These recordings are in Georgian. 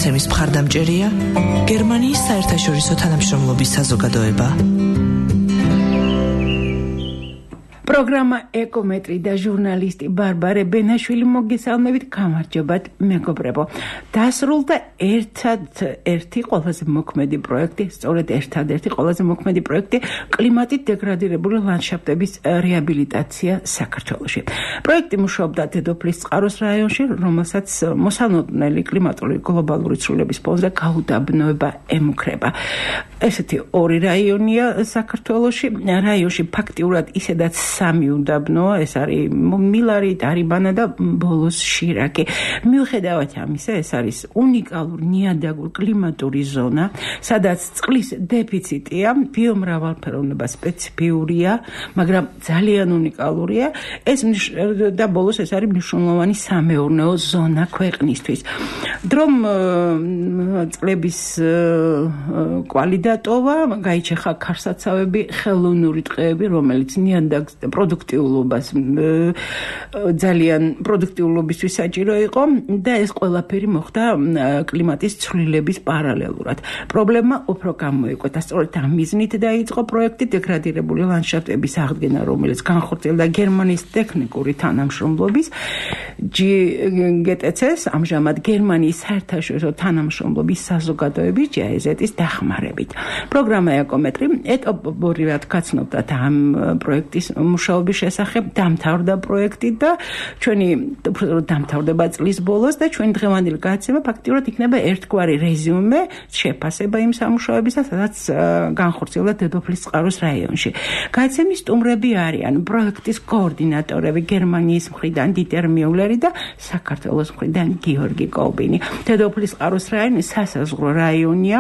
გადაცემის მხარდამჭერია გერმანიის საერთაშორისო თანამშრომლობის საზოგადოება. პროგრამა ეკომეტრი და ჟურნალისტი ბარბარე ბენაშვილი მოგესალმებით, გამარჯობათ მეგობრებო. დასრულდა ერთადერთი ყველაზე მოქმედი პროექტი, სწორედ ერთადერთი ყველაზე მოქმედი პროექტი კლიმატით დეგრადირებული ლანდშაფტების რეაბილიტაცია საქართველოში. პროექტი მუშაობდა დედოფლის წყაროს რაიონში, რომელსაც მოსალოდნელი კლიმატური გლობალური ცვლილების ფონზე გაუდაბნოება ემუქრება. ესეთი ორი რაიონია საქართველოში, რაიონში ფაქტიურად ისედაც სამი უდაბნოა, ეს არის მილარი, ტარიბანა და ბოლოს შირაკი. მიუხედავად ამისა, ეს არის უნიკალური ნიადაგური კლიმატური ზონა, სადაც წყლის დეფიციტია, ბიომრავალფეროვნება სპეციფიურია, მაგრამ ძალიან უნიკალურია. და ბოლოს ეს არის მნიშვნელოვანი სამეურნეო ზონა ქვეყნისთვის. დრომ წლების კვალი დატოვა, გაიჩეხა ქარსაცავები, ხელოვნური ტყეები, რომელიც ნიადაგს პროდუქტიულობას ძალიან პროდუქტიულობისთვის საჭირო იყო და ეს ყველაფერი მოხდა კლიმატის ცვლილების პარალელურად. პრობლემა უფრო გამოიკვეთა, სწორედ ამ მიზნით დაიწყო პროექტი დეგრადირებული ლანდშაფტების აღდგენა, რომელიც განხორციელდა გერმანიის ტექნიკური თანამშრომლობის GTC-ს, ამჟამად გერმანიის საერთაშორისო თანამშრომლობის საზოგადოების GIZ-ის დახმარებით. პროგრამა ეკომეტრი ეტაპობრივად გაცნობდათ ამ პროექტის მუშაობის შესახებ, დამთავრდა პროექტი და ჩვენი დამთავრდება წლის ბოლოს და ჩვენი დღევანდელი გადაცემა ფაქტიურად იქნება ერთგვარი რეზიუმე, შეფასება იმ სამუშაოებისა, სადაც განხორციელდა დედოფლის წყაროს რაიონში. გადაცემის სტუმრები არიან პროექტის კოორდინატორები გერმანიის მხრიდან დიტერ მიულერი და საქართველოს მხრიდან გიორგი კობინი. დედოფლის წყაროს რაიონი სასაზღვრო რაიონია,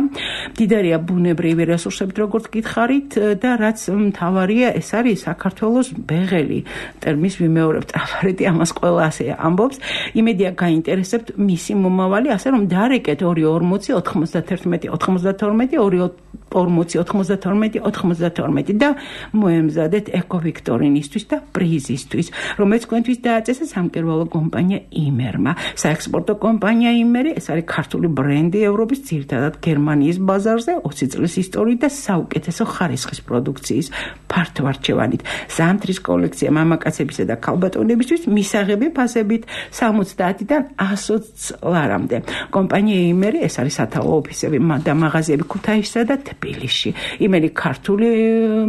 მდიდარია ბუნებრივი რესურსებით, როგორც გითხარით, და რაც მთავარია, ეს არის საქართველოს ბეღელი, ტერმის ვიმეორებ ტრაფარეტი, ამას ყველა ასე ამბობს. იმედია გაინტერესებთ მისი მომავალი, ასე რომ დარეკეთ 240 91 92 240 92 და მოემზადეთ ეკოვიქტორინისთვის და პრიზისთვის, რომელიც თქვენთვის დააწესა სამკერვალო კომპანია იმერმა. საექსპორტო კომპანია იმერი, ეს არის ქართული ბრენდი ევროპის, ძირითადად გერმანიის ბაზარზე 20 წლის ისტორიით და საუკეთესო ხარისხის პროდუქციის ფართოარჩევანით. ზამთრის კოლექცია მამაკაცებისა და ქალბატონებისთვის მისაღები ფასებით 70-დან 120 ლარამდე. კომპანია იმერი, ეს არის სათაო ოფისები და მაღაზიები ქუთაისსა და თბილისში. იმერი ქართული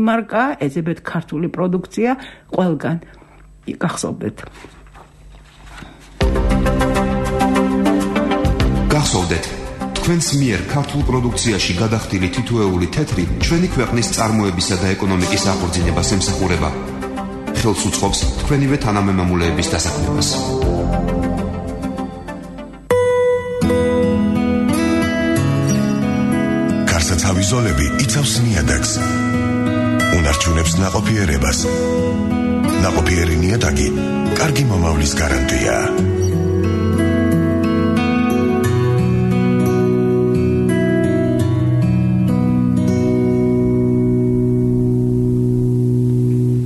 მარკა, ეძებეთ ქართული პროდუქცია ყველგან. გახსოვდეთ. გახსოვდეთ, თქვენს მიერ ქართულ პროდუქციაში გადახდილი თითოეული თეთრი ჩვენი ქვეყნის წარმოებისა და ეკონომიკის აღორძინებას ემსახურება. ხელს უწყობს თქვენივე თანამემამულეების დასაქმებას. ქარსაცავი ზოლები იცავს ნიადაგს, უნარჩუნებს ნაყოფიერებას. ნაყოფიერი ნიადაგი კარგი მომავლის გარანტია.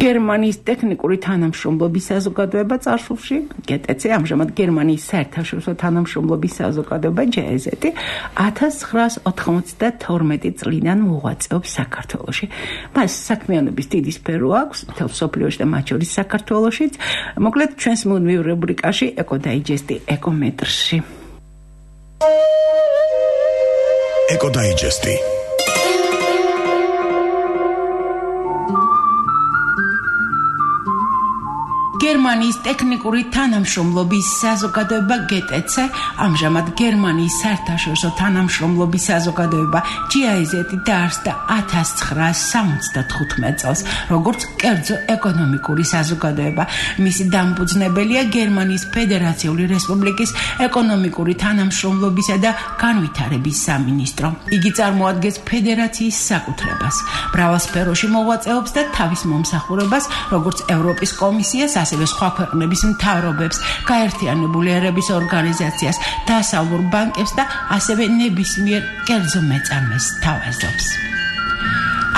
გერმანიის ტექნიკური თანამშრომლობის საზოგადოება წარსულში, GTC, ამჟამად გერმანიის საერთაშორისო თანამშრომლობის საზოგადოება GIZ 1992 წლიდან მოღვაწეობს საქართველოში. მას საქმიანობის დიდი სფერო აქვს, მთელ მსოფლიოში და მათ შორის საქართველოშიც. მოკლედ, ჩვენს მუდმივ რუბრიკაში ეკოდაიჯესტი ეკომეტრში. ეკოდაიჯესტი. გერმანიის ტექნიკური თანამშრომლობის საზოგადოება GTC, ამჟამად გერმანიის საერთაშორისო თანამშრომლობის საზოგადოება GIZ დაარსდა 1975 წელს, როგორც კერძო ეკონომიკური საზოგადოება. მისი დამფუძნებელია გერმანიის ფედერაციული რესპუბლიკის ეკონომიკური თანამშრომლობისა და განვითარების სამინისტრო. იგი წარმოადგენს ფედერაციის საკუთრებას, მრავალ სფეროში მოღვაწეობს და თავის მომსახურებას, როგორც ევროპის კომისიას, ასევე სხვა ქვეყნების მთავრობებს, გაერთიანებული ერების ორგანიზაციას, დასავლურ ბანკებს და ასევე ნებისმიერ კერძო მეწარმეს თავაზობს.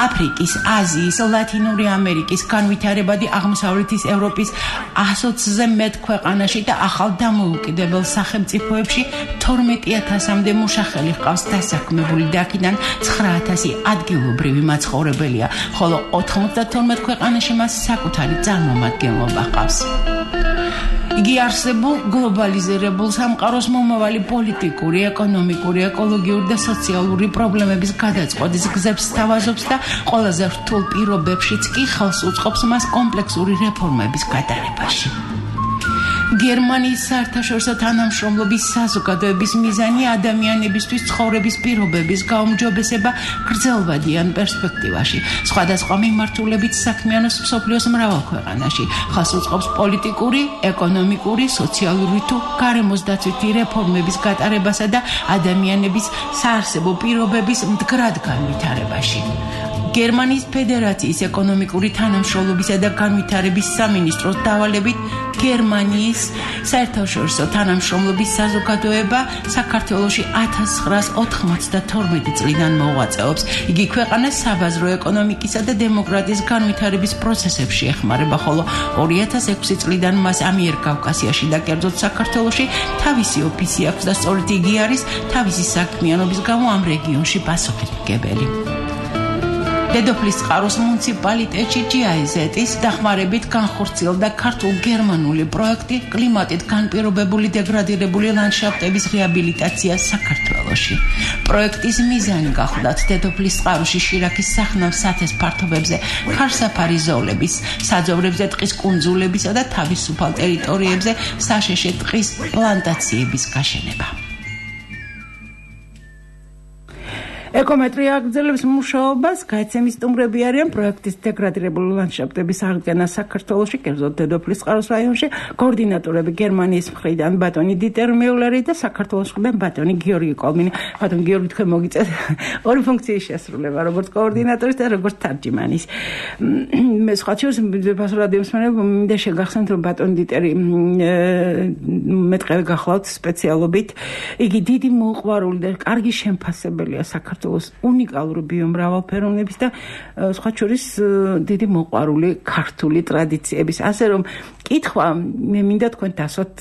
აფრიკის, აზიის, ლათინური ამერიკის, განვითარებადი აღმოსავლეთის ევროპის 120-ზე მეტ ქვეყანაში და ახალ დამოუკიდებელ სახელმწიფოებში 12,000-მდე მუშახელი ჰყავს დასაქმებული და აქედან 9,000 ადგილობრივი მაცხოვრებელია, ხოლო 92 ქვეყანაში მას საკუთარი წარმომადგენლობა ჰყავს. იგი არსებულ გლობალიზირებულ სამყაროს მომავალი პოლიტიკური, ეკონომიკური, ეკოლოგიური და სოციალური პრობლემების გადაწყვეტის გზებს სთავაზობს და ყველაზე რთულ პირობებშიც კი ხელს უწყობს მას კომპლექსური რეფორმების გატარებაში. გერმანიის საერთაშორისო თანამშრომლობის საზოგადოების მიზანი ადამიანებისთვის ცხოვრების პირობების გაუმჯობესება გრძელვადიან პერსპექტივაში. სხვადასხვა მიმართულებით საქმიანობს მსოფლიოს მრავალ ქვეყანაში. ხალხს უწყობს პოლიტიკური, ეკონომიკური, სოციალური თუ გარემოსდაცვითი რეფორმების გატარებასა და ადამიანების საარსებო პირობების მდგრად განვითარებაში. გერმანიის ფედერაციის ეკონომიკური თანამშრომლობისა და განვითარების სამინისტროს დავალებით გერმანიის საერთაშორისო თანამშრომლობის საზოგადოება საქართველოში 1992 წლიდან მოღვაწეობს. იგი ქვეყანას საბაზრო ეკონომიკისა და დემოკრატიის განვითარების პროცესებში ეხმარება, ხოლო 2006 წლიდან მას ამიერკავკასიაში და კერძოდ საქართველოში თავისი ოფისი აქვს და სწორედ იგი არის თავისი საქმიანობის გამო ამ რეგიონში პასუხისმგებელი. დედოფლის წყაროს მუნიციპალიტეტში GIZ-ის დახმარებით განხორციელდა ქართულ-გერმანული პროექტი კლიმატით განპირობებული დეგრადირებული ლანდშაფტების რეაბილიტაცია საქართველოში. პროექტის მიზანი გახლდათ დედოფლის წყაროში შირაქის სახნავ სათეს ფართობებზე ქარსაფარი ზოლების, საძოვრებზე ტყის კუნძულებისა და თავისუფალ ტერიტორიებზე საშეშე ტყის პლანტაციების გაშენება. ეკომეტრია აგრძელებს მუშაობას, გაიცემის სტუმრები არიან პროექტის დეგრადირებული ლანდშაფტების აღდგენა საქართველოში, კერძოდ დედოფლის წყაროს რაიონში, კოორდინატორები გერმანიის მხრიდან ბატონი დიტერ მიულერი და საქართველოს მხრიდან ბატონი გიორგი კოლმინი. ბატონი გიორგი, თქვენ მოგიწევთ ორი ფუნქციის შესრულება, როგორც კოორდინატორის და როგორც თარჯიმანის. მე სხვა შორის ფასურად იმსმენებ, მინდა შეგახსენოთ, რომ ბატონი დიტერი მეტყევი გახლავთ სპეციალობით. იგი დიდი მოუყვარული და კარგი შემფასებელია საქართველოს უნიკალური ბიომრავალფეროვნების და სხვა შორის დიდი მოყვარული ქართული ტრადიციების. ასე რომ კითხვა მე მინდა თქვენ დასვათ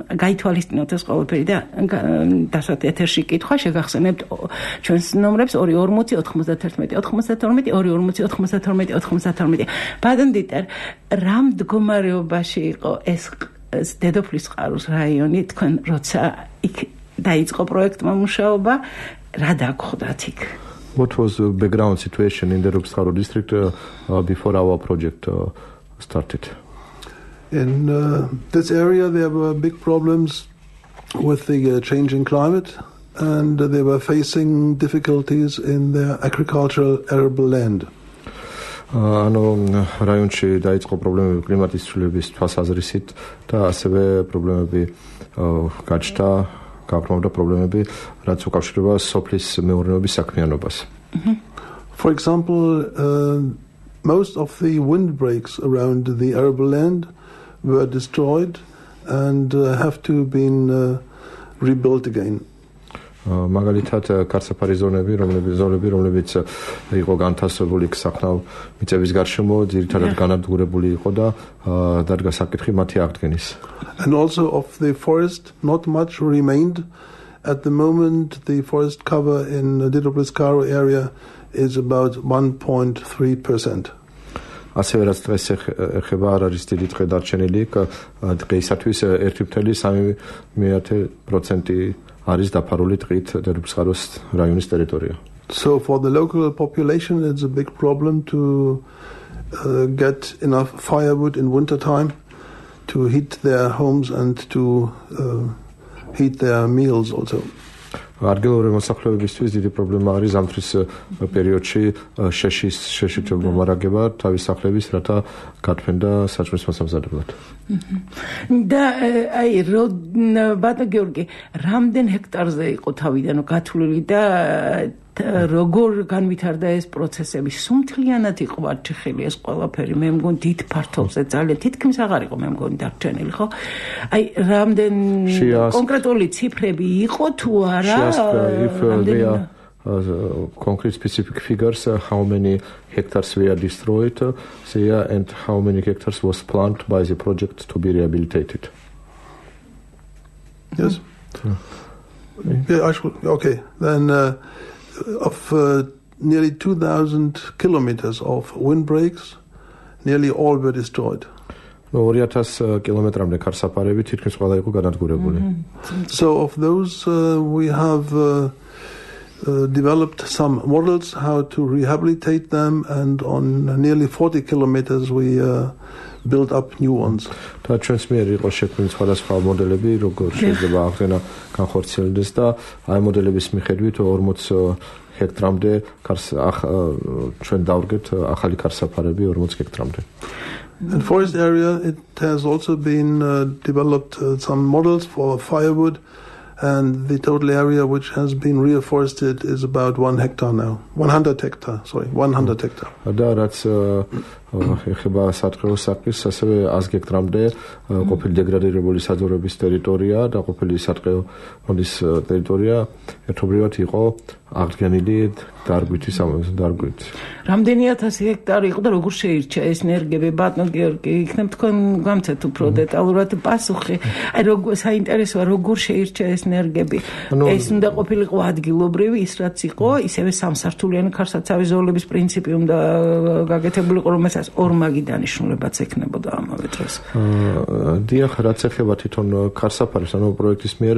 გაითვალისწინოთ ეს ყველაფერი და დასვათ ეთერში კითხვა შეგახსენებთ ჩვენს ნომრებს 240 91 92 240 92 ბატონ დიტერ, რა მდგომარეობაში იყო ეს დედოფლის წყაროს რაიონი თქვენ როცა იქ დაიწყო პროექტმა მუშაობა? What was the background situation in the Rupskaro district before our project started? In this area there were big problems with the changing climate, and they were facing difficulties in their agricultural arable land. ანუ რაიონში დაიწყო პრობლემები კლიმატის ცვლილების თვალსაზრისით და ასევე პრობლემები გაჩნდა გაბრმავდა პრობლემები, რაც უკავშირდება სოფლის მეურნეობის საქმიანობას. For example, most of the windbreaks around the arable land were destroyed and have to been rebuilt again. მაგალითად ქარსაფარი ზონები, რომლებიც იყო განთავსებული სახნავ მიწების გარშემო, ძირითადად განადგურებული იყო და დადგა საკითხი მათი აღდგენის. And also of the forest, not much remained. At the moment, the forest cover in the Didoplis-Karo area is about 1.3%. ასევე რაც დღეს ეხება არ არის დიდი ტყე დარჩენილი, დღეისათვის 1,3% არის დაფარული ტყით დედოფლისწყაროს რაიონის ტერიტორია. So for the local population it's a big problem to get enough firewood in winter time to heat their homes and to heat their meals also. ადგილობრივი მოსახლეობისთვის დიდი პრობლემა არის ზამთრის პერიოდში შეშით მომარაგება თავის სახლების, რათა გათმენ და საჭმლის მოსამზადებლად. და აი ბატონ გიორგი, რამდენ ჰექტარზე იყო თავიდან გათვლილი და როგორ განვითარდა ეს პროცესები? სუმთლიანად იყო არჩეხილი ეს ყველაფერი, მე მგონი დიდ ფართობზე ძალიან თითქმის აღარ იყო მე მგონი დარჩენილი, ხო? აი რამდენ კონკრეტული ციფრები იყო თუ არა? If they are concrete specific figures how many hectares were destroyed there and how many hectares was planned by the project to be rehabilitated. Yes. Yeah, okay. Then of nearly 2,000 kilometers of windbreaks, nearly all were destroyed. 2,000 კილომეტრამდე ქარსაფარები თითქმის ყველა იყო განადგურებული. So of those we have developed some models how to rehabilitate them, and on nearly 40 kilometers we built up new ones. და ჩვენს მიერ იყო შექმნილი სხვადასხვა მოდელები, როგორ შეიძლება აღდგენა განხორციელდეს და აი მოდელების მიხედვით 40 ჰექტრამდე ჩვენ დავრგეთ ახალი ქარსაფარები 40 ჰექტრამდე. In forest area, it has also been developed some models for firewood, and the total area which has been reforested is about 1 hectare now. 100 hectare, sorry, 100 hectare. და რაც ეხება სატყეო საქმეს, ასევე 100 ჰექტრამდე ყოფილი დეგრადირებული საძოვრების ტერიტორია და ყოფილი სატყეო ფონდის ტერიტორია ერთობლივად იყო აღდგენილი დარგვითი დარგვით. რამდენი 1000 ჰექტარი იყო და როგორ შეირჩა ეს ენერგები? ბატონ გიორგი, იქნებ თქვენ გამცეთ უფრო დეტალურად პასუხი. აი როგორ საინტერესოა როგორ შეირჩა ეს ენერგები? ეს უნდა ყოფილიყო ადგილობრივი, ის რაც იყო, ისევე სამსართულიანი ქარსაცავი ზოლების პრინციპი უნდა გაკეთებულიყო, რომელსაც ორმაგი დანიშნულებაც ექნებოდა ამავე დროს. დიახ, რაც ეხება თვითონ ქარსაფარებს, ანუ პროექტის მიერ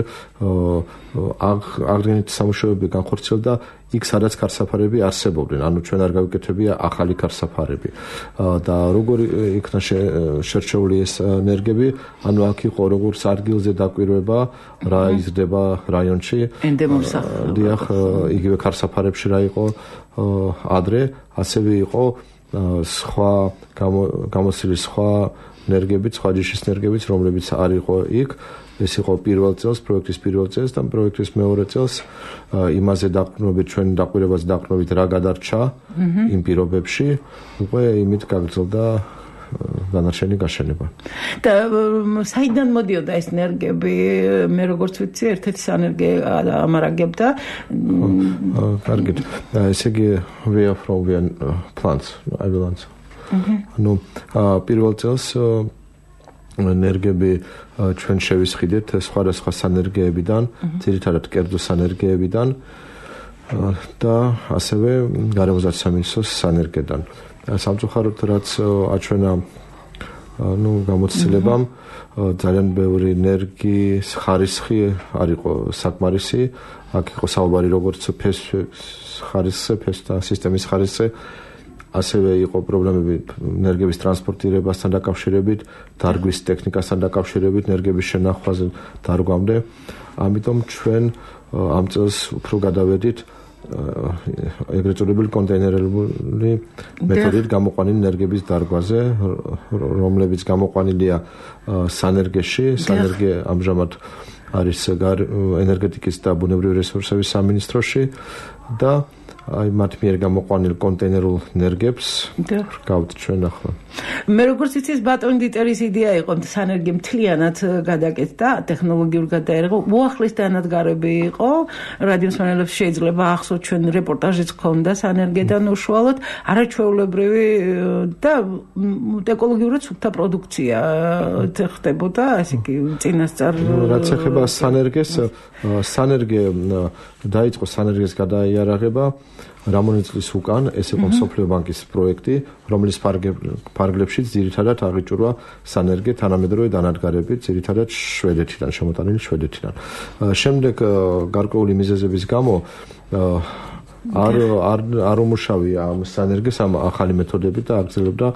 აღდგენითი სამუშაოები განხორციელდა იქ სადაც ქარსაფარები არსებობდნენ, ანუ ჩვენ არ გავიკეთებია ახალი ქარსაფარები. და როგორი იქნა შერჩეული ეს ენერგები, ანუ აქ იყო როგორც ადგილზე დაკვირვება, რა იზრდება რაიონში. ენდემომსახურება. დიახ, იგივე ქარსაფარებში რა იყო ადრე, ასევე იყო სხვა გამოცილი სხვა ენერგიებიც, სხვა ჯიშის ენერგიებიც, რომლებიც არ იყო იქ. ეს იყო პირველ წელს, პროექტის პირველ წელს და პროექტის მეორე წელს იმაზე დაყრდნობით, ჩვენ დაკვირვებას დაყრდნობით რა გადარჩა იმ პირობებში, უკვე იმით გაგრძელდა დანარჩენი გაშენება. და საიდან მოდიოდა ეს ენერგიები? მე როგორც ვიცი, ერთ-ერთი სანერგე ამარაგებდა. კარგით. ესე იგი we are from plants, I will answer. ანუ პირველ წელს ენერგიები ჩვენ შევისყიდეთ სხვადასხვა სანერგეებიდან, ძირითადად კერძო სანერგეებიდან და ასევე გარემოსდაცვის სამინისტროს სანერგედან. სამწუხაროდ რაც აჩვენა გამოცდილებამ, ძალიან ბევრი ენერგიის ხარისხი არ იყო საკმარისი. აქ იყო საუბარი როგორც ხარისხზე, და სისტემის ხარისხზე, ასევე იყო პრობლემები ენერგიების ტრანსპორტირებასთან დაკავშირებით, დარგვის ტექნიკასთან დაკავშირებით, ენერგიების შენახვაზე დარგვამდე. ამიტომ ჩვენ ამ წელს უფრო გადავედით ეგრეთ წოდებული კონტეინერული მეთოდით გამოყვანილი ენერგიების დარგვაზე, რომლებიც გამოყვანილია სანერგეში. სანერგე ამჟამად არის ენერგეტიკის და ბუნებრივი რესურსების სამინისტროში და აი მათ მიერ გამოყვანილ კონტეინერულ ენერგიებს გავთ ჩვენ ახლა. მე როგორც იცი, ბატონ დიტერის იდეა იყო სანერგე მთლიანად გადაკეთდა, ტექნოლოგიურ გადაერღო, უახლის დანადგარები იყო. რადიოს მანელებს შეიძლება ახსოვთ, ჩვენ რეპორტაჟიც ჰქონდა სანერგედან უშუალოდ, არაჩვეულებრივი და ეკოლოგიურად სუფთა პროდუქცია ხდებოდა, ასე იგი წინასწარ. რაც ეხება სანერგეს, სანერგე დაიწყო სანერგეს გადაიარაღება რამონი წლის უკან, ეს იყო მსოფლიო ბანკის პროექტი, რომლის ფარგლებშიც ძირითადად აღიჭურვა სანერგე თანამედროვე დანადგარებით, ძირითადად შვედეთიდან, შემოტანილი შვედეთიდან. შემდეგ გარკვეული მიზეზების გამო არ უმუშავია ამ სანერგეს ამ ახალი მეთოდებით და აგრძელებდა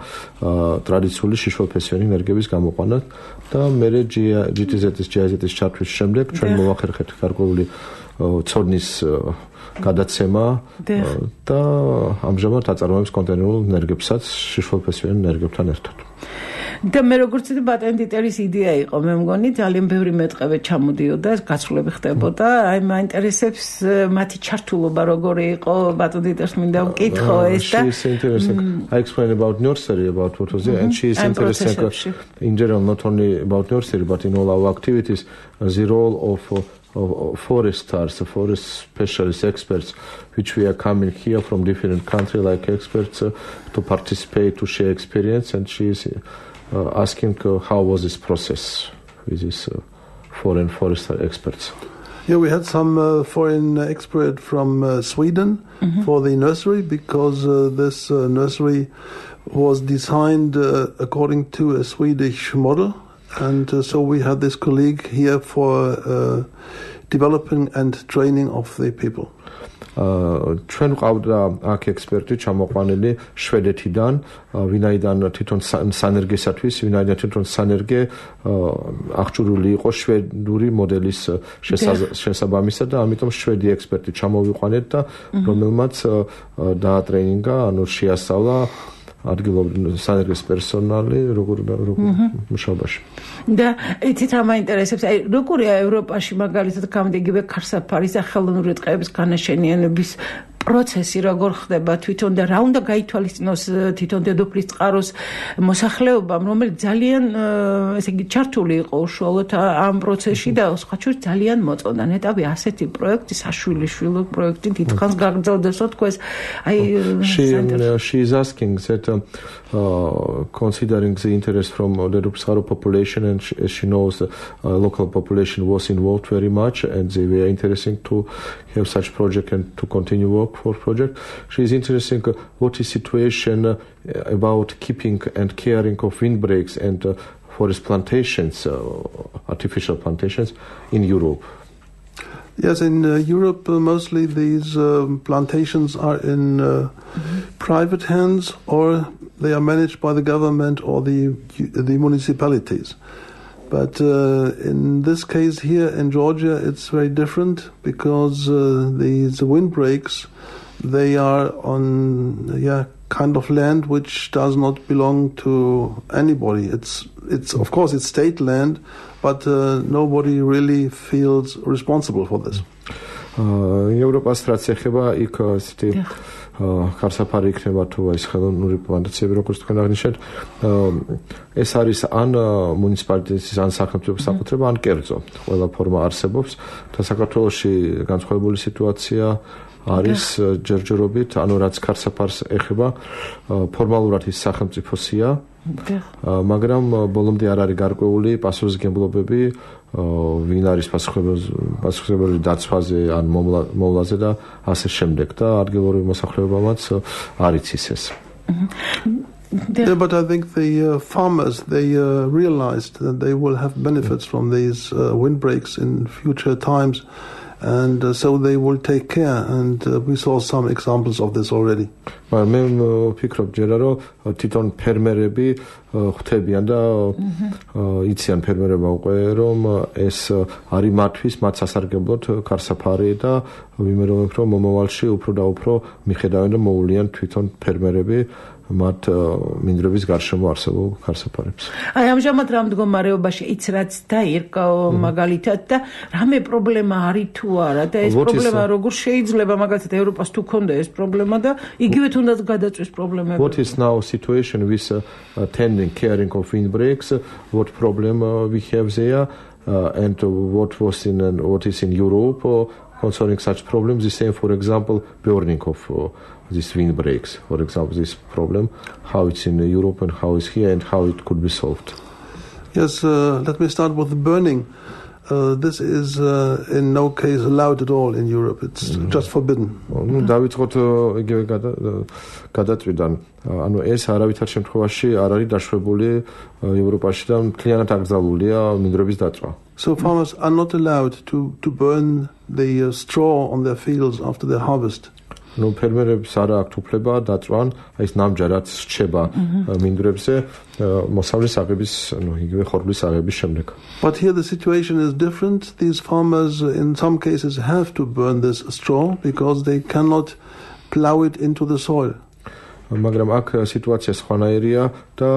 ტრადიციული შიშველფესიანი ენერგიების გამოყვანას და მერე GTZ-ის ჩართვის შემდეგ ჩვენ მოვახერხეთ გარკვეული ცოდნის გადაცემა და ამჟამად აწარმოებს კონტეინერულ ენერგიებსაც შიშველფესიან ენერგიებთან ერთად. და მე როგორც ვთქვი, ბატონ დიტერის იდეა იყო, მე მგონი ძალიან ბევრი მეტყევე ჩამოდიოდა, გაცვლები ხდებოდა. აი მაინტერესებს მათი ჩართულობა როგორი იყო, ბატონ დიტერს მინდა ვკითხო ეს და She is interesting. I explained about nursery about what was there, and she is interesting in general, not only about nursery but in all our activities, the role of foresters, forest specialist experts, which we are coming here from different countries like experts to participate, to share experience, and she is asking how was this process with these foreign forester experts. Yeah, we had some foreign expert from Sweden for the nursery because this nursery was designed according to a Swedish model. And so we had this colleague here for developing and training of the people. ჩვენ ყავდა აქ ექსპერტი ჩამოყვანილი შვედეთიდან, ვინაიდან თვითონ სანერგესათვის, ვინაიდან თვითონ სანერგე აღჭურვილი იყო შვედური მოდელის შესაბამისად და ამიტომ შვედი ექსპერტი ჩამოვიყვანეთ და რომელმაც დაატრეინინგა, ანუ შეასწავლა ადგილობრივი სანერგეს პერსონალი როგორ მუშაობაში. და იცით რა მაინტერესებს, აი როგორია ევროპაში მაგალითად გამდეგივე ქარსაფარის და ხელოვნური ტყეების განაშენიანების პროცესი როგორ ხდება თვითონ და რა უნდა გაითვალისწინოს თვითონ დედოფლის წყაროს მოსახლეობამ, რომელიც ძალიან ესე იგი ჩართული იყო უშუალოდ ამ პროცესში და სხვა შორის ძალიან მოწონდა ნეტავი ასეთი პროექტი, საშვილიშვილო პროექტი დიდხანს გაგრძელდეს თქოს აი she is asking that considering the interest from the Rupsaro population and she knows the local population was involved very much and they were interested to have such project and to continue work for project. She is interested in what is situation about keeping and caring of windbreaks and forest plantations, artificial plantations in Europe. Yes, in Europe mostly these plantations are in private hands or they are managed by the government or the municipalities. But in this case here in Georgia it's very different because these windbreaks, they are on kind of land which does not belong to anybody. It's of course it's state land, but nobody really feels responsible for this. Ევროპას რაც ეხება იქ ქარსაფარი იქნება თუ ეს ხელოვნური პლანტაციები როგორც თქვენ აღნიშნეთ ეს არის ან მუნიციპალიტეტის ან სახელმწიფო საკუთრება ან კერძო ყველა ფორმა არსებობს და საქართველოში განსხვავებული სიტუაცია არის ჯერჯერობით ანუ რაც ქარსაფარს ეხება ფორმალურად ის სახელმწიფოსია მაგრამ ბოლომდე არ არის გარკვეული პასუხისმგებლობები ვინ არის პასუხისმგებელი დაცვაზე ან მოვლაზე და ასე შემდეგ და ადგილობრივი მოსახლეობამაც არ იცის ეს. Yeah, but I think the farmers, they realized that they will have benefits from these windbreaks in future times. And so they will take care, and we saw some examples of this already. მე ვფიქრობ ჯერა რომ თვითონ ფერმერები ხვდებიან და იციან ფერმერებმა უკვე რომ ეს არის მათთვის მათ სასარგებლოდ ქარსაფარი და ვიმეორებ რომ მომავალში უფრო და უფრო მიხედავენ და მოულიან თვითონ ფერმერები მათ მინდვრების გარშემო არსებულ ქარსაფარებს. აი ამჟამად რა მდგომარეობაში იც რაც დაირკა მაგალითად და რამე პრობლემა არის თუ არა და ეს პრობლემა როგორ შეიძლება მაგალითად ევროპას თუ ქონდა ეს პრობლემა და იგივე თუნდაც გადაწვის პრობლემები. What is now situation with tending caring of windbreaks? What problem we have there and what is in Europe concerning such problems? The same, for example, burning of these windbreaks. For example, this problem, how it's in Europe and how it's here and how it could be solved. Yes, let me start with the burning. This is in no case allowed at all in Europe. It's just forbidden. დავიწყოთ იგივე გადაწვიდან. ანუ ეს არავითარ შემთხვევაში არ არის დაშვებული ევროპაში და მთლიანად აკრძალულია მინდვრების დაწვა. So farmers are not allowed to burn the straw on their fields after their harvest. No ფერმერებს არ აქვთ უფლება დაწვან აი ეს ნამჯერად რჩება მინდვრებზე მოსავლის აღების ანუ იგივე ხორბლის აღების შემდეგ. But here the situation is different. These farmers in some cases have to burn this straw because they cannot plow it into the soil. მაგრამ აქ სიტუაცია სხვანაირია და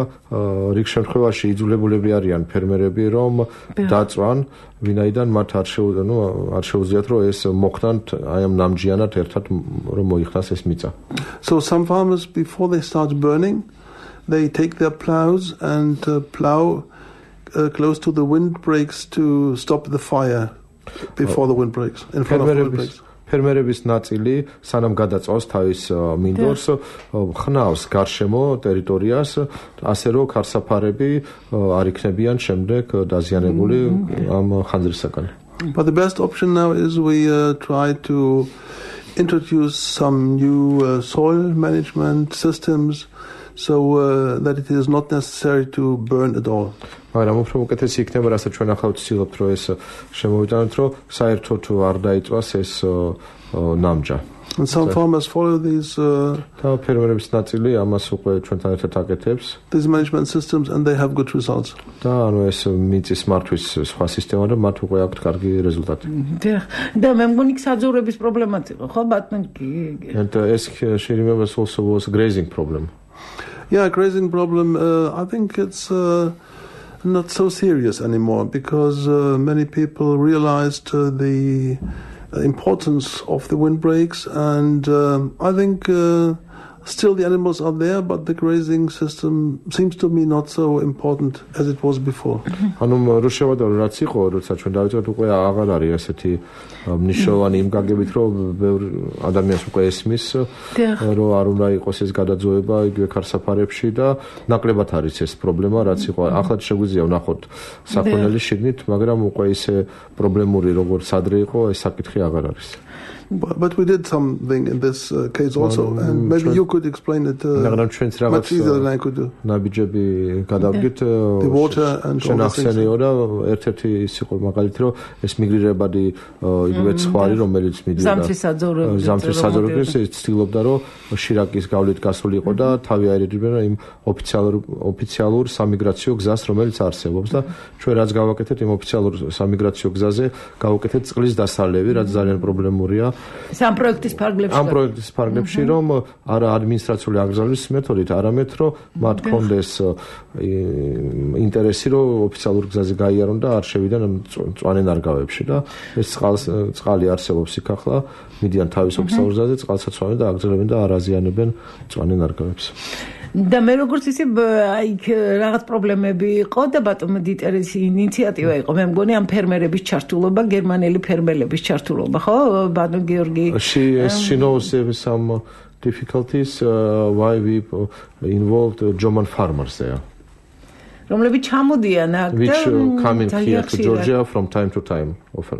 რიგ შემთხვევაში იძულებულები არიან ფერმერები რომ დაწვან ვინაიდან მათ არ შეუძლიათ რომ ეს მოხდან აი ამ ნამჯიანად ერთად რომ მოიხსნას ეს მიწა. So some farmers before they start burning they take their plows and plow close to the windbreaks to stop the fire before the windbreaks, in front of the windbreaks. ფერმერების ნაწილი სანამ გადაწვავს თავის მინდორს ხნავს გარშემო ტერიტორიას ასე რომ ქარსაფარები არ იქნებიან შემდეგ დაზიანებული ამ ხანძრისაგან. But the best option now is we try to introduce some new soil management systems so that it is not necessary to burn at all. მაგრამ უფრო უკეთესი იქნება, რასაც ჩვენ ახლა ვცდილობთ, რომ ეს შემოვიტანოთ, რომ საერთოდ არ დაიწვას ეს ნამჯა. And some farmers follow these ფერმერების ნაწილი ამას უკვე ჩვენთან ერთად აკეთებს. These management systems and they have good results. და ანუ ეს მიწის მართვის სხვა სისტემა და მათ უკვე აქვთ კარგი რეზულტატი. და მე მგონი საძოვრების პრობლემაც იყო, ხო ბატონ? And ეს remember also was grazing problem. Yeah, grazing problem. I think it's not so serious anymore because many people realized the importance of the windbreaks, and I think still the animals are there, but the grazing system seems to me not so important as it was before. ანუ რო შევადარო რაც იყო, როცა ჩვენ დავიწყეთ უკვე აღარ არის ასეთი მნიშვნელოვანი იმ გაგებით, რომ ბევრი ადამიანს უკვე ესმის, რომ არ უნდა იყოს ეს გადაძვება იგივე ქარსაფარებში და ნაკლებად არის ეს პრობლემა, რაც იყო. ახლა შეგვიძლია ვნახოთ საქონელი შიგნით, მაგრამ უკვე ისე პრობლემური როგორც ადრე იყო, ეს საკითხი აღარ არის. But we did something in this case also, and maybe you could explain it much easier than I could do. ნაბიჯები გადავდგით the water and all the things. და ერთ-ერთი ის იყო მაგალითი, რომ ეს მიგრირებადი იგივე ცხვარი, რომელიც მიდიოდა ზამთრის საძოვრებს ცდილობდა, რომ შირაკის გავლით გასული იყო და თავი აერიდრებდა იმ ოფიციალურ სამიგრაციო გზას, რომელიც არსებობს და ჩვენ რაც გავაკეთეთ იმ ოფიციალურ სამიგრაციო გზაზე, გავაკეთეთ წყლის დასალევი, რაც ძალიან პრობლემურია. ამ პროექტის ფარგლებში რომ არა ადმინისტრაციული აკრძალვის მეთოდით, არამედ რომ მათ კონდეს ინტერესი რომ ოფიციალურ გზაზე გაიარონ და არ შევიდან მწვანე ნარგავებში და ეს წყალი არსებობს იქ ახლა, მიდიან თავის ოფიციალურ გზაზე, წყალსაცავენ და აკრძალებენ და არ აზიანებენ მწვანე ნარგავებს. და მე როგორც ისე იქ რაღაც პრობლემები იყო და ბატონო დიტერის ინიციატივა იყო, მე მგონი ამ ფერმერების ჩართულობა, გერმანელი ფერმერების ჩართულობა, ხო ბატონ გიორგი? She knows some difficulties why we involved German farmers there. რომლებიც ჩამოდიან აქ და which come in here to Georgia from time to time often.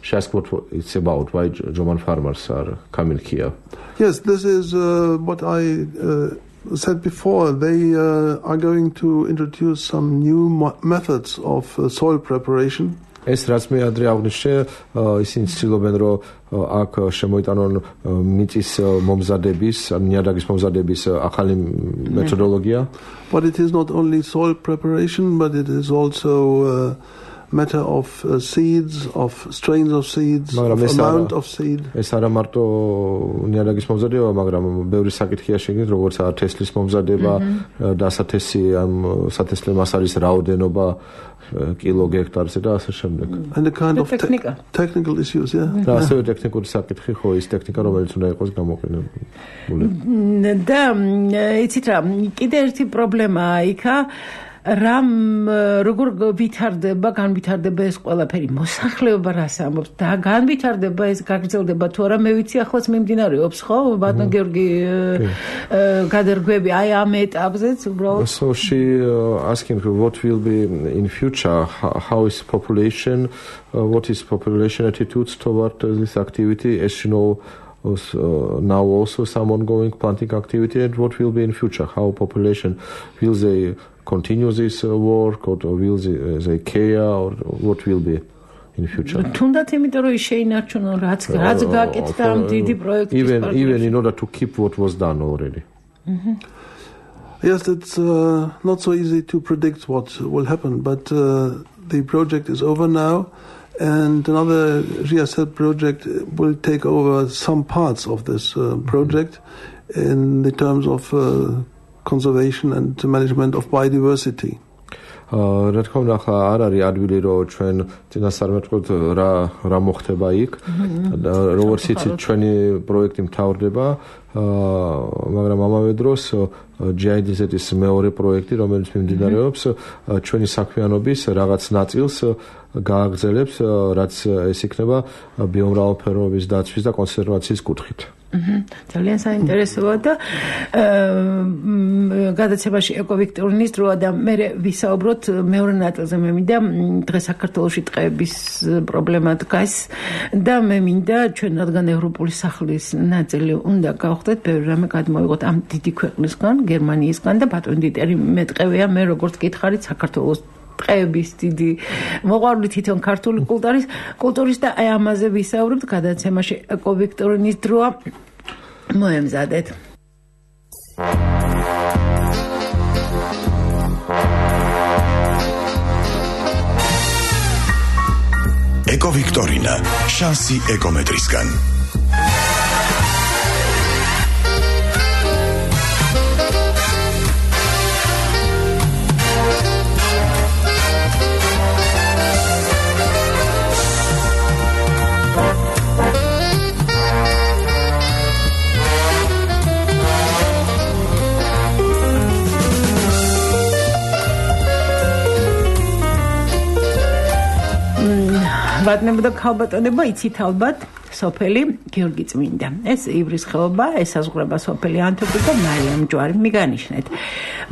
She asked what it's about, why German farmers are coming here. Yes, this is what I said before. They are going to introduce some new methods of soil preparation. ეს რაც მე ადრე აღვნიშნე, ისინი ცდილობენ რომ აქ შემოიტანონ მიწის მომზადების, ნიადაგის მომზადების ახალი მეთოდოლოგია. But it is not only soil preparation, but it is also matter of seeds, of strains of seeds, of amount of seed. ეს არა მარტო ნიადაგის მომზადება, მაგრამ ბევრი საკითხია შეგნით, როგორც თესლის მომზადება, დასათესი ამ სათესლე მასალის რაოდენობა კილო გექტარზე და ასე შემდეგ. And the kind of technical issues, yeah. და ასევე ტექნიკური საკითხი, ხო, ის ტექნიკა, რომელიც უნდა იყოს გამოყენებული. და იცით რა, კიდე ერთი პრობლემაა იქა, რამ როგორ განვითარდება ეს ყველაფერი, მოსახლეობა რას ამბობს და განვითარდება ეს გაგრძელდება თუ არა, მე ვიცი ახლაც მიმდინარეობს, ხო ბატონ გიორგი, გადარგვები აი ამ ეტაპზეც უბრალოდ. So she asking what will be in future, how is population, what is population attitudes toward this activity, as you know, now also some ongoing planting activity, and what will be in future, how population, will they continue this work or will they care, or what will be in future? თუნდაც იმიტომ რომ შეინარჩუნონ რაც გაკეთდა ამ დიდი პროექტის even in order to keep what was done already. Yes, it's not so easy to predict what will happen, but the project is over now. And another GSL project will take over some parts of this project in the terms of conservation and management of biodiversity. რა თქმა უნდა ახლა არ არის ადვილი რომ ჩვენ წინასწარ მეტყოთ რა მოხდება იქ როგორც იცით ჩვენი პროექტი მთავრდება მაგრამ ამავე დროს GIZ-ის მეორე პროექტი რომელიც მიმდინარეობს ჩვენი საქმიანობის რაღაც ნაწილს გააგრძელებს რაც ეს იქნება ბიომრავალფეროვნების დაცვის და კონსერვაციის კუთხით ძალიან საინტერესოა და გადაცემაში ეკოვიქტორინის დროა და მე ვისაუბროთ მეორე ნაწილზე მე მინდა დღეს საქართველოში ტყეების პრობლემა დგას და მე მინდა ჩვენ რადგან ევროპული სახლის ნაწილი უნდა გავხდეთ ბევრი რამე გადმოვიღოთ ამ დიდი ქვეყნისგან გერმანიისგან და ბატონი დიტერი მეტყევია მე როგორც გითხარით საქართველოს ტყეების დიდი მოყვარული თვითონ ქართული კულტურის და აი ამაზე ვისაუბრებთ გადაცემაში ეკოვიქტორინის დროა მოემზადეთ ეკოვიქტორინა შანსი ეკომეტრისგან ბატონებო და ქალბატონებო იცით ალბათ სოფელი გიორგი წმინდა ეს ივრის ხეობა ესაზღვრება სოფელი ანთოგი და მარიამ ჯვარი მიგანიშნეთ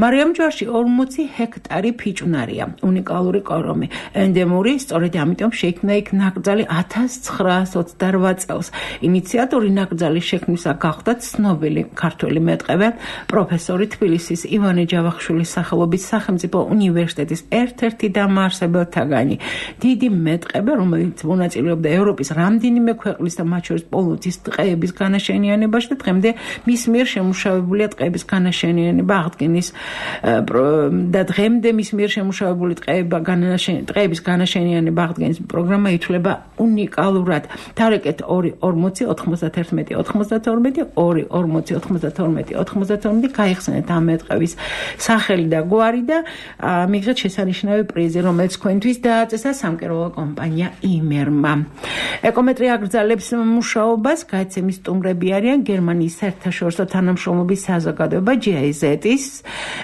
მარიამ ჯვარში 40 ჰექტარი ფიჭვნარია უნიკალური კორომი ენდემური სწორედ ამიტომ შეიქმნა იქ ნაკრძალი 1928 წელს ინიციატორი ნაკრძალის შექმნისა გახდა ცნობილი ქართველი მეტყევე პროფესორი თბილისის ივანე ჯავახიშვილის სახელობის სახელმწიფო უნივერსიტეტის ერთ-ერთი დამაარსებელთაგანი დიდი მეტყევე რომელიც მონაწილეობდა ევროპის რამდენიმე ქვეყნის და მათ შორის პოლონეთის ტყეების განაშენიანებაში და დღემდე მის მიერ შემუშავებულია ტყეების განაშენიანება აღდგენის და დღემდე მის მიერ შემუშავებული ტყეების განაშენიანება აღდგენის პროგრამა ითვლება უნიკალურად. თარეკეთ 2-40-91-92 გაიხსენეთ ამ მეტყევის სახელი და გვარი და მიღეთ შესანიშნავი პრიზი, რომელიც თქვენთვის დააწესა სამკერვალო კომპანია იმერმა. ეკომეტრია აგრძელებს მუშაობას, გადაცემის სტუმრები არიან გერმანიის საერთაშორისო თანამშრომლობის საზოგადოება GIZ-ის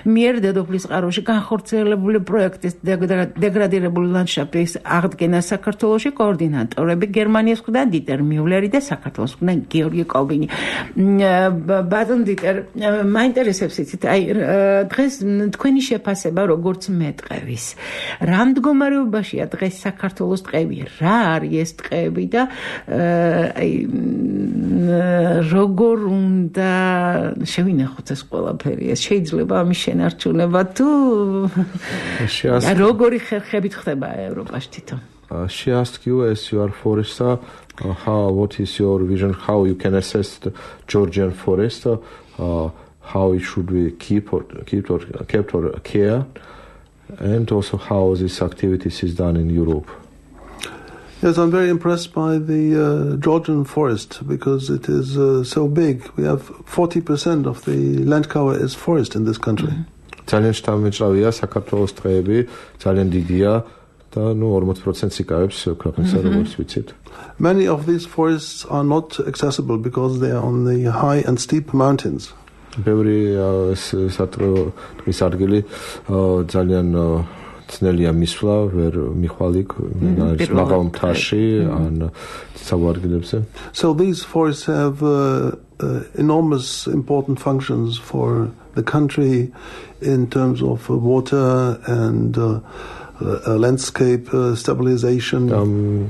მიერ დედოფლის წყაროში განხორციელებული პროექტის დეგრადირებული ლანდშაფტის აღდგენა საქართველოში კოორდინატორები გერმანიის მხრიდან დიტერ მიულერი და საქართველოს მხრიდან გიორგი კობინი. ბატონ დიტერ, მაინტერესებს იცით, აი დღეს თქვენი შეფასება როგორც მეტყევის. რა მდგომარეობაშია დღეს საქართველოს ტყეები? რა არის ეს ტყეები და აი როგორ უნდა შევინახოთ ეს ყველაფერი? ეს შეიძლება ამის შენარჩუნება თუ როგორი ხერხებით ხდება ევროპაში თვითონ? She asked you as you are forester, what is your vision, how you can assess the Georgian forest, how it should be kept or care, and also how this activities is done in Europe. Yes, I'm very impressed by the Georgian forest because it is so big. We have 40% of the land cover is forest in this country. ძალიან შთამბეჭდავია საქართველოს ტყეები, ძალიან დიდია და 40%-ს იკავებს ქვეყნისა, როგორც ვიცით. Many of these forests are not accessible because they are on the high and steep mountains. ბევრი ტყის ადგილი ძალიან ძნელია მისვლა, ვერ მიხვალ იქ მაღალ მთაში ან საგვარგილებზე. So these forests have enormous important functions for the country in terms of water and landscape stabilization.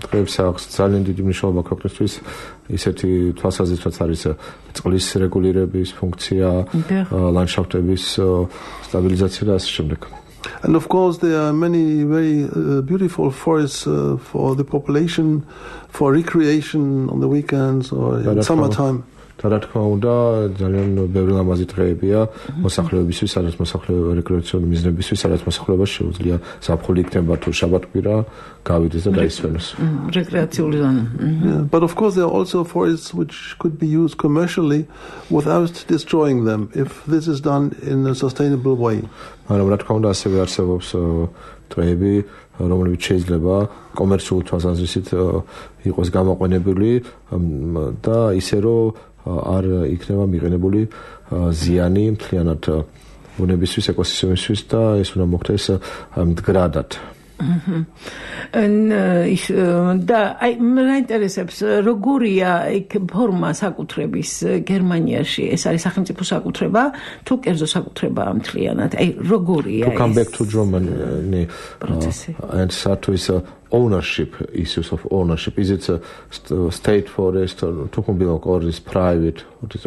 ტყეებს აქვს ძალიან დიდი მნიშვნელობა ქვეყნისთვის. ისეთი თვალსაზრისით არის წყლის რეგულირების ფუნქცია, ლანდშაფტების სტაბილიზაცია და ასე შემდეგ. And of course there are many very beautiful forests for the population, for recreation on the weekends or in summertime. და რა თქმა უნდა ძალიან ბევრი ლამაზი დღეებია მოსახლეობისთვის, სადაც მოსახლეობა რეკრეაციული მიზნებისთვის, სადაც მოსახლეობას შეუძლია ზაფხული იქნება თუ შაბათ-კვირა გავიდეს და დაისვენოს. რეკრეაციული ზონა. But of course there are also forests which could be used commercially without destroying them if this is done in a sustainable way. მაგრამ რა თქმა უნდა ასევე არსებობს დღეები რომლებიც შეიძლება კომერციულ თვალსაზრისით იყოს გამოყენებული და ისე რომ არ იქნება მიღებული ზიანი მთლიანად ბუნებისთვის, ეკოსისტემისთვის და ეს უნდა მოხდეს მდგრადად. და აი მე ინტერესებს როგორია იქ ფორმა საკუთრების გერმანიაში ეს არის სახელმწიფო საკუთრება თუ კერძო საკუთრებაა მთლიანად აი როგორია to come back to Germany and start to is ownership issues of ownership is it a state forest or to belong or is private what is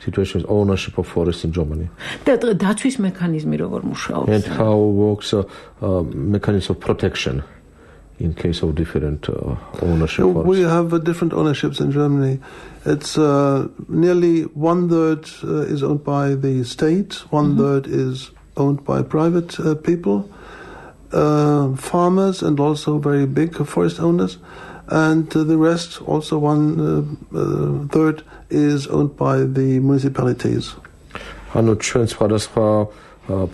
situation is ownership of forest in Germany და დაცვის მექანიზმი როგორ მუშაობს and how works mechanism of protection in case of different ownership we have different ownerships in Germany it's nearly 1/3 is owned by the state 1/3 is owned by private people farmers and also very big forest owners and the rest also 1/3 is owned by the municipalities ანუ ჩვენ სხვადასხვა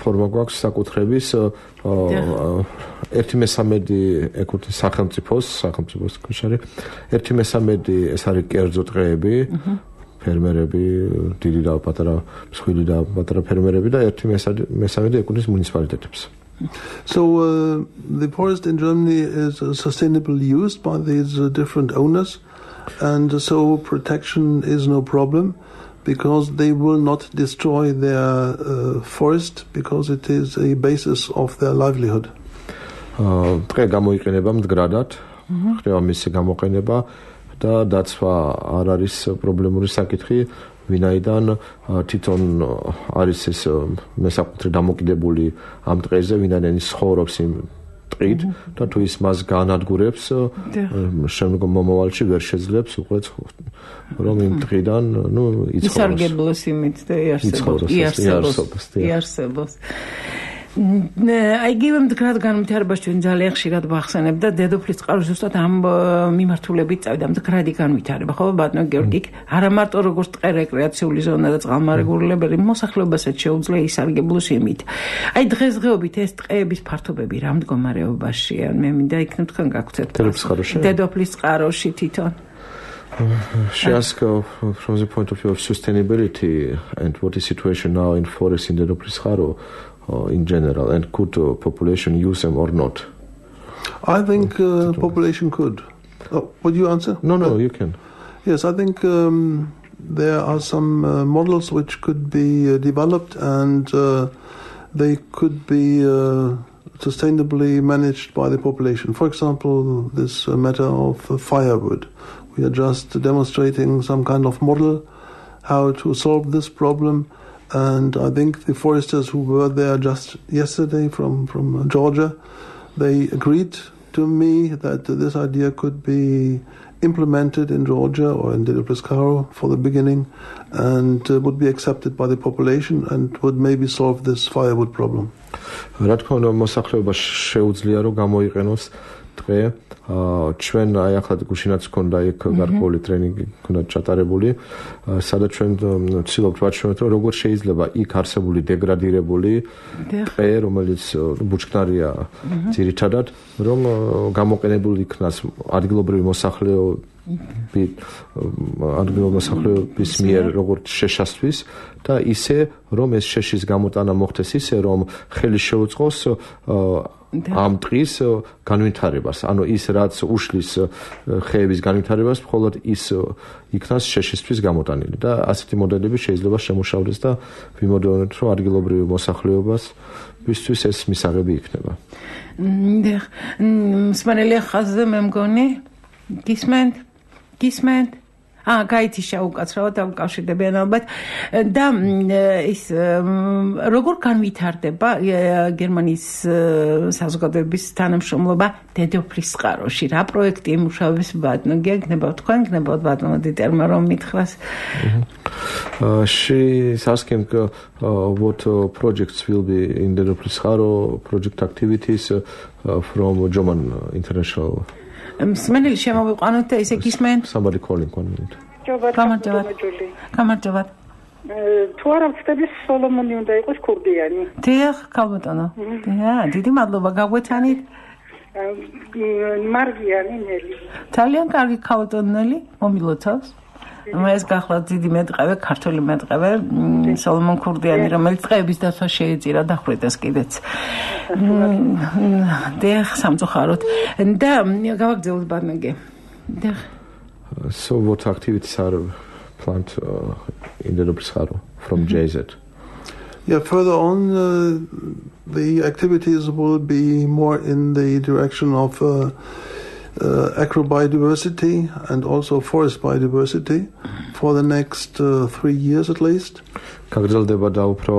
ფორმა გვაქვს საკუთრების 1/3 ეკუთვნის სახელმწიფოს კავშირი 1/3 ეს არის კერძო ტყეები ფერმერები დიდი და პატარა მსხვილი და პატარა ფერმერები და 1/3 ეკუთვნის მუნიციპალიტეტებს So the forest in Germany is sustainably used by these different owners and so protection is no problem because they will not destroy their forest because it is a basis of their livelihood. დღე გამოიყენება მდგრადად, ხდება მისი გამოყენება და დაცვა არ არის პრობლემური საკითხი, ვინაიდან თვითონ არის ეს მესაკუთრე დამოკიდებული ამ დღეზე, ვინაიდან ის ცხოვრობს იმ ტყით და თუ ის მას განადგურებს, შემდგომ მომავალში ვერ შეძლებს უკვე რომ იმ ტყიდან, ისარგებლოს იმით და იარსებოს. აიგივე მდგრად განვითარებას ჩვენ ძალიან ხშირად ვახსენებთ და დედოფლის წყარო ზუსტად ამ მიმართულებით წავიდა მდგრადი განვითარება ხო ბატონო გიორგი არა მარტო როგორც ტყე რეკრეაციული ზონა და წყალმარეგულებელი მოსახლეობასაც შეუძლია ისარგებლოს იმით აი დღესდღეობით ეს ტყეების ფართობები რა მდგომარეობაშია მე მინდა იქნებ თქვენ გაგვცეთ დედოფლის წყაროში თვითონ She asked from the point of view of sustainability and what is situation now in forest in Dedoplis Qaro in general and could population use them or not? I think population could. Would you answer? No, you can. Yes, I think there are some models which could be developed and they could be sustainably managed by the population. For example, this matter of firewood. We are just demonstrating some kind of model how to solve this problem. And I think the foresters who were there just yesterday from Georgia, they agreed to me that this idea could be implemented in Georgia or in Dedoplis Qaro for the beginning and would be accepted by the population and would maybe solve this firewood problem. რა თქმა უნდა მოსახლეობა შეუძლია რომ გამოიყენოს დღე ჩვენ აი ახლა გუშინაც ქონდა იქ გარკვეული ტრენინგი ქონდა ჩატარებული სადაც ჩვენ ვცდილობთ ვაჩვენოთ რომ როგორ შეიძლება იქ არსებული დეგრადირებული ტყე რომელიც ბუჩქნარია ძირითადად რომ გამოყენებული იქნას ადგილობრივი მოსახლეობის მიერ როგორც შეშასთვის და ისე რომ ეს შეშის გამოტანა მოხდეს ისე რომ ხელი შეუწყოს ამ ტყის განვითარებას, ანუ ის რაც უშლის ხეების განვითარებას, მხოლოდ ის იქნას შეშისთვის გამოტანილი და ასეთი მოდელები შეიძლება შემუშავდეს და ვიმოდელოთ, რომ ადგილობრივი მოსახლეობას ვისთვის ეს მისაღები იქნება. მსმენელი ხაზზე მე მგონი გისმენთ? გაითიშა უკაცრავად დამკავშირდებიან ალბათ და ის როგორ განვითარდება გერმანიის საზოგადოების თანამშრომლობა დედოფლის წყაროში რა პროექტი იმუშავებს ბატონო გეკნება თქვენ გნებავთ ბატონო დიტერმა რომ მითხრას She is asking what projects will be in the Dedoplis Qaro project activities from German international მსმენელი შემოვიყვანოთ და ესე გისმენ Somebody calling 1 minute გამარჯობათ თუ არა ვწდების სოლომონი უნდა იყოს ქურდიანი დიახ ქალბატონო დიდი მადლობა გაგვეცანით მარგიანი ნელი ძალიან კარგი ქალბატონო ნელი მომილოცავს ეს გახლავთ დიდი მეტყევე ქართული მეტყევე სოლომონ ქურდიანი რომელიც წეების დაცვა შეეწირა დახვრიტეს კიდეც დიახ სამწუხაროდ და გავაგზავნოთ ბანკე დიახ So what activities are planned in the Dedoplis Qaro from JZ? Yeah, further on, the activities will be more in the direction of agrobiodiversity and also forest biodiversity for the next 3 years at least. გაგრძელდება და უფრო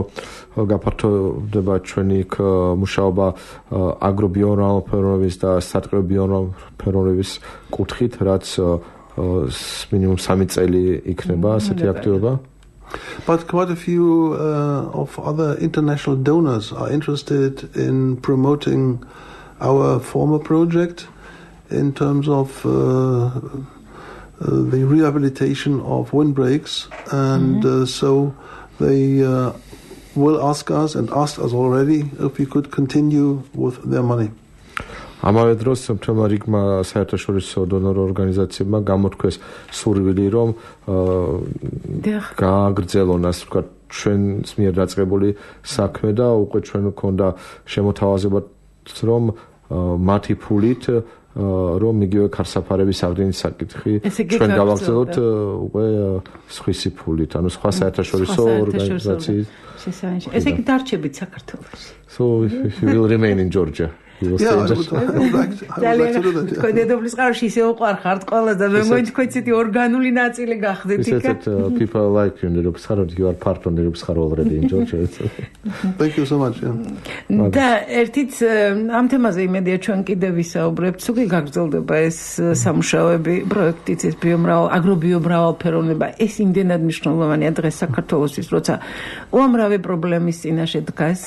გაფართოვდება ჩვენი მუშაობა აგრობიომრავალფეროვნების და სარტყეობიომრავალფეროვნების კუთხით, რაც minimum 3 წელი იქნება ასეთი აქტივობა. But quite a few of other international donors are interested in promoting our former project in terms of the rehabilitation of windbreaks, and so they will ask us and asked us already if we could continue with their money. ამავე დროს მთელმა რიგმა საერთაშორისო დონორ ორგანიზაციებმა გამოთქვეს სურვილი რომ გააგრძელონ ასე ვთქვათ ჩვენს მიერ დაწყებული საქმე და უკვე ჩვენ გვქონდა შემოთავაზებაც რომ მათი ფულით რომ იგივე ქარსაფარების აღდგენის საკითხი ჩვენ გავაგრძელოთ უკვე სხვისი ფულით ანუ სხვა საერთაშორისო ორგანიზაციის ესე იგი დარჩებით საქართველოში So he will remain in Georgia. Yeah, I would like to do that. თქვენ დედოფლის ყაროში ისე უყარხართ ყველა და მე მგონი თქვენ ცეთი ორგანული ნაწილი გახდეთ იქ. People like you in Dedoplis Qaro, you are part of Dedoplis Qaro already in Georgia. Thank you so much. და ერთით ამ თემაზე იმედია ჩვენ კიდევ ვისაუბრებთ, თუ კი გაგრძელდება ეს სამუშაოები, პროექტიც ეს აგრობიომრავალფეროვნება, ეს იმდენად მნიშვნელოვანია დღეს საქართველოსთვის, როცა უამრავი პრობლემის წინაშე დგას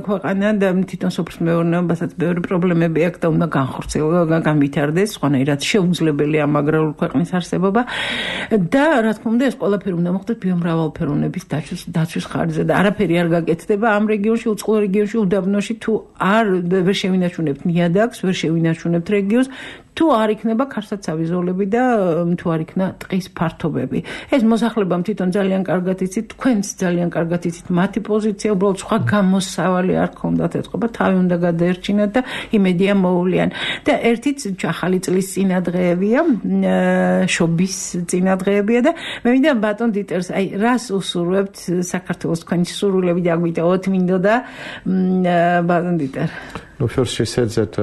ქვეყანა და თვითონ სოფლის მეურნეობასაც ბევრი პრობლემები აქვს და უნდა განხორციელდეს, განვითარდეს, სხვანაირად შეუძლებელია ამ აგრარული ქვეყნის არსებობა და რა თქმა უნდა ეს ყველაფერი უნდა მოხდეს ბიომრავალფეროვნების დაცვის ხარჯზე და არაფერი არ გაკეთდება ამ რეგიონში, უწყლო რეგიონში, უდაბნოში თუ არ ვერ შევინარჩუნებთ ნიადაგს, ვერ შევინარჩუნებთ რეგიონს თუ არ იქნება ქარსაცავი ზოლები და თუ არ იქნა ტყის ფართობები. ეს მოსახლებამ თვითონ ძალიან კარგად იცით, თქვენც ძალიან კარგად იცით მათი პოზიცია, უბრალოდ სხვა გამოსავალი არ ქონდათ ეთყობა, თავი უნდა გადაერჩინათ და იმედია მოუვლიან. და ერთიც ახალი წლის წინადღეებია, შობის წინადღეებია და მე მინდა ბატონ დიტერს, აი რას უსურვებთ საქართველოს თქვენი სურვილები და აგვიტოვოთ მინდოდა ბატონ დიტერ. No, first she said that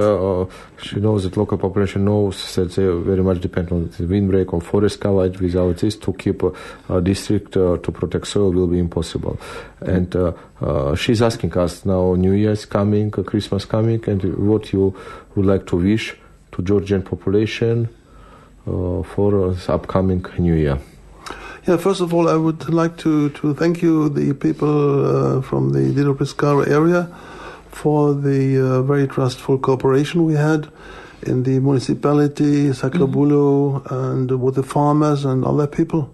she knows that local population knows that they very much depend on the windbreak or forest coverage. Without this, to keep a district to protect soil will be impossible. And she's asking us now, New Year is coming, Christmas coming, and what you would like to wish to Georgian population for the upcoming New Year. Yeah, first of all, I would like to thank you, the people from the Dedoplis Qaro area, for the very trustful cooperation we had in the municipality, Sacrabulo, and with the farmers and other people.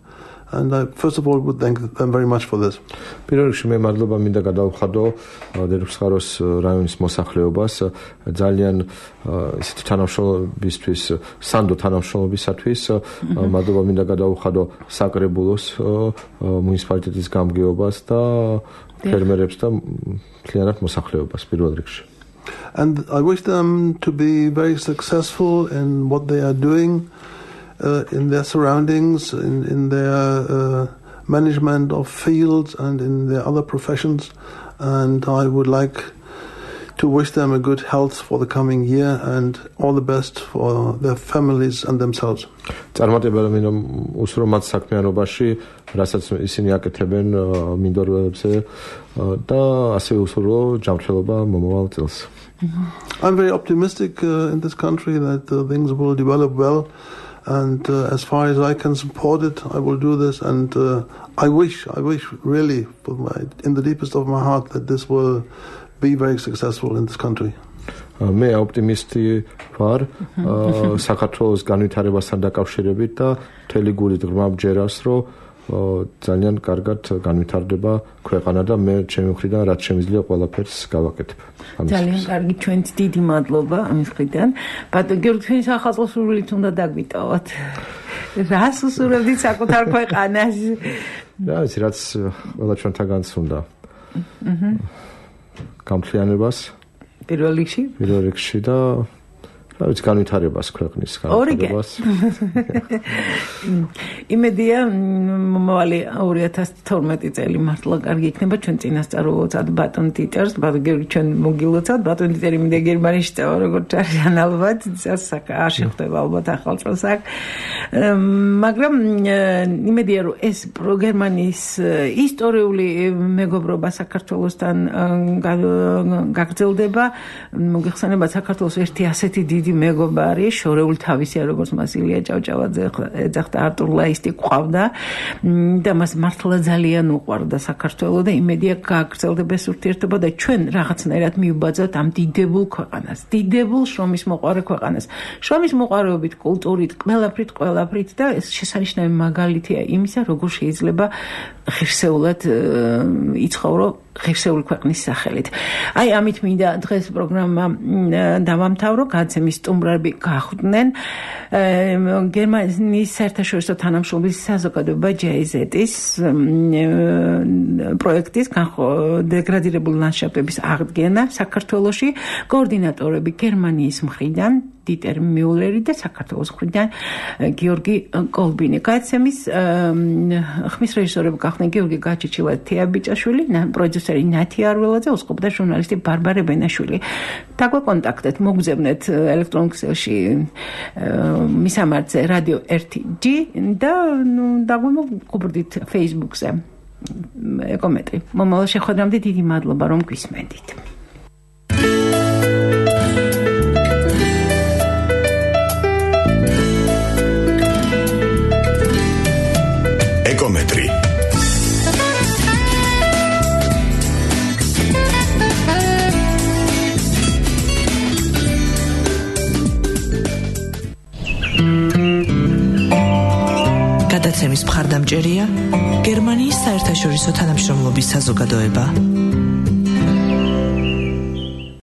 And I first of all would thank them very much for this. პირველ რიგში მე მადლობა მინდა გადავხადო დედოფლის ყაროს რაიონის მოსახლეობას ძალიან ისეთი თანამშრომლობისთვის, სანდო თანამშრომლობისათვის. მადლობა მინდა გადავხადო საკრებულოს მუნიციპალიტეტის გამგეობას და ფერმერებს და მთლიანად მოსახლეობას პირველ რიგში. And I wish them to be very successful in what they are doing. In their surroundings, in their management of fields and in their other professions. And I would like to wish them a good health for the coming year and all the best for their families and themselves. წარმატებები მინდom უსურო მათ საქმიანობაში, რასაც ისინი აკეთებენ მინდორებზე და ასევე უსურო ჯანმრთელობა მომავალ წელს. I'm very optimistic in this country that things will develop well, and as far as I can support it, I will do this. And I wish really, in the deepest of my heart, that this will be very successful in this country. მე ოპტიმისტი ვარ საქართველოს განვითარებასთან დაკავშირებით და მთელი გულით ღრმა ვჯერავს, რომ ძალიან კარგად განვითარდება ქვეყანა და მე ჩემი მხრიდან რაც შემიძლია ყველაფერს გავაკეთებ. ძალიან კარგი, ჩვენც დიდი მადლობა ამის მხრიდან. ბატონო გიორგი, თქვენი ახალ სურვილით უნდა დაგვიტოვოთ. რას უსურვებდით საკუთარ ქვეყანას? რა იცი, რაც ყველა ჩვენთაგანს უნდა. გამთლიანებას პირველ რიგში და რა ვიცი, განვითარებას ქვეყნის განვითარებას. იმედია მომავალი 2012 წელი მართლა კარგი იქნება, ჩვენ წინასწარ ვუწევთ ბატონ ტიტერს, ბატონ გიორგი ჩვენ მოგილოცავთ, ბატონ ტიტერი მინდა გერმანიაში წავა, როგორც არის ალბათ, არ შეხვდება ალბათ ახალ წელს აქ. მაგრამ იმედია რომ ეს გერმანიის ისტორიული მეგობრობა საქართველოსთან გაგრძელდება, მოგეხსენება საქართველოს ერთი ასეთი დიდი მეგობარი, შორეული თავისია, როგორც მას ილია ჭავჭავაძე ეძახდა, არტურ ლაისტი ყავდა და მას მართლა ძალიან უყვარდა საქართველო და იმედია გაგრძელდება ეს ურთიერთობა და ჩვენ რაღაცნაირად მივბაძავთ ამ დიდებულ ქვეყანას, დიდებულ შრომის მოყვარე ქვეყანას. შრომის მოყვარეობით, კულტურით, ყველაფრით და ეს შესანიშნავი მაგალითია იმისა, როგორ შეიძლება ღირსეულად იცხოვრო ღირსეული ქვეყნის სახელით. აი ამით მინდა დღეს პროგრამა დავამთავრო, გადაცემის სტუმრები გახვდნენ გერმანიის საერთაშორისო თანამშრომლობის საზოგადოება JZ-ის პროექტის დეგრადირებული ლანდშაფტების აღდგენა საქართველოში, კოორდინატორები გერმანიის მხრიდან დიტერ მიულერი და საქართველოს მხრიდან გიორგი კოლბინი. გადაცემის ხმის რეჟისორები გახდნენ გიორგი გაჩიჩილა, თეაბიჭაშვილი, პროდიუსერი ნათი არველაძე, უწყობდა ჟურნალისტი ბარბარე ბენაშვილი. დაგვაკონტაქტეთ, მოგზავნეთ ელექტრონულ ქსელში მისამართზე რადიო 1G და დაგვიმოგუბრდით Facebook-ზე ეკომეტრი. მომავალ შეხვედრამდე დიდი მადლობა, რომ გვისმენდით. ეკომეტრი. გადაცემის მხარდამჭერია გერმანიის საერთაშორისო თანამშრომლობის საზოგადოება.